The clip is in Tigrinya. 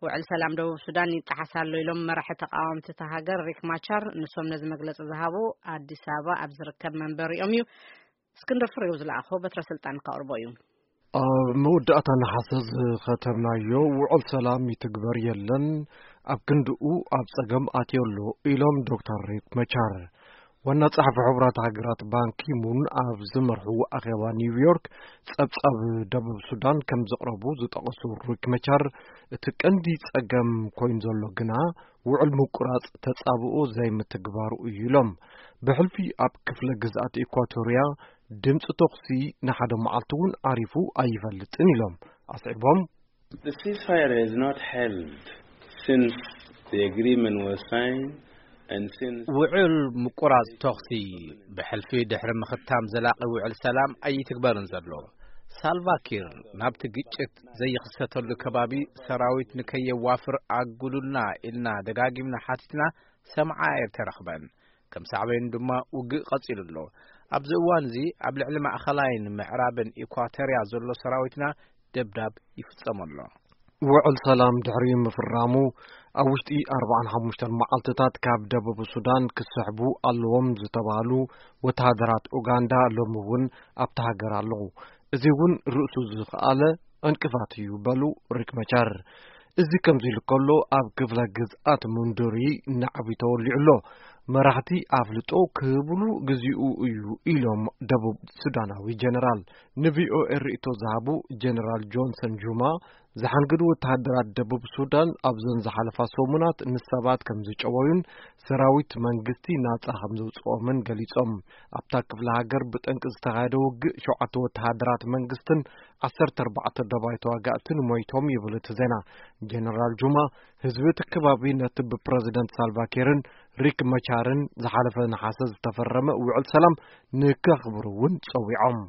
ውዕል ሰላም ደቡብ ሱዳን ይጠሓስ ኣሎ ኢሎም መራሒ ተቃወምቲ እታ ሃገር ሪክ ማቻር። ንሶም ነዚ መግለጺ ዝሃቡ ኣዲስ ኣበባ ኣብ ዝርከብ መንበሪኦም እዩ። እስክንድር ፍሬው ዝለኣኾ በትረ ስልጣን ከቕርቦ እዩ። ኣብ መወዳእታ ነሓሰ ዝኸተምናዮ ውዕል ሰላም ይትግበር የለን፣ ኣብ ክንድኡ ኣብ ጸገም ኣትዮ ኣሎ ኢሎም ዶክተር ሪክ መቻር። ዋና ጸሓፊ ሕቡራት ሃገራት ባንኪሙን ኣብ ዝመርሕዎ ኣኼባ ኒውዮርክ ጸብጻብ ደቡብ ሱዳን ከም ዘቕረቡ ዝጠቐሱ ሪክ መቻር፣ እቲ ቀንዲ ጸገም ኮይኑ ዘሎ ግና ውዕል ምቁራጽ ተጻብኦ ዘይምትግባሩ እዩ ኢሎም። ብሕልፊ ኣብ ክፍለ ግዝኣት ኢኳቶርያ ድምፂ ተኹሲ ንሓደ መዓልቲ እውን ዓሪፉ ኣይፈልጥን ኢሎም። ኣስዒቦም፣ The ceasefire has not held since the agreement was signed and since ውዕል ምቁራጽ ተኹሲ ብሕልፊ ድሕሪ ምኽታም ዘላቒ ውዕል ሰላም ኣይትግበርን ዘሎ። ሳልቫኪር ናብቲ ግጭት ዘይኽሰተሉ ከባቢ ሰራዊት ንከየዋፍር ኣጉሉልና ኢልና ደጋጊምና ሓቲትና፣ ሰምዓ ኣይተረኽበን። ከም ሳዕቤኑ ድማ ውግእ ቀጺሉ ኣሎ። ኣብዚ እዋን እዚ ኣብ ልዕሊ ማእኸላይን ምዕራብን ኢኳቶርያ ዘሎ ሰራዊትና ደብዳብ ይፍጸም ኣሎ። ውዕል ሰላም ድሕሪ ምፍራሙ ኣብ ውሽጢ ኣርባዓን ሓሙሽተን መዓልትታት ካብ ደቡብ ሱዳን ክስሕቡ ኣለዎም ዝተባህሉ ወተሃደራት ኡጋንዳ ሎሚ እውን ኣብታ ሃገር ኣለዉ። እዚ እውን ርእሱ ዝኸኣለ ዕንቅፋት እዩ በሉ ሪክ መቻር። እዚ ከምዚ ኢሉ ከሎ ኣብ ክፍለ ግዝኣት ሙንዱሪ ናዕቢ ተወሊዑ ኣሎ። መራሕቲ ኣፍልጦ ክህብሉ ግዚኡ እዩ ኢሎም ደቡብ ሱዳናዊ ጀነራል። ንቪኦኤ ርእቶ ዝሃቡ ጀነራል ጆንሰን ጁማ፣ ዝሓንግዱ ወተሃደራት ደቡብ ሱዳን ኣብዘን ዝሓለፋ ሰሙናት ንሰባት ከም ዝጨወዩን ሰራዊት መንግስቲ ናጻ ከም ዘውጽኦምን ገሊጾም። ኣብታ ክፍለ ሃገር ብጠንቂ ዝተኻየደ ውግእ ሸውዓተ ወተሃደራት መንግስትን ዓሰርተ ኣርባዕተ ደባይ ተዋጋእትን ሞይቶም ይብል እቲ ዜና። ጀነራል ጁማ ህዝቢ እቲ ከባቢ ነቲ ብፕረዚደንት ሳልቫኪርን ሪክ መቻርን ዝሓለፈ ነሓሰ ዝተፈረመ ውዕል ሰላም ንከኽብሩ እውን ጸዊዖም።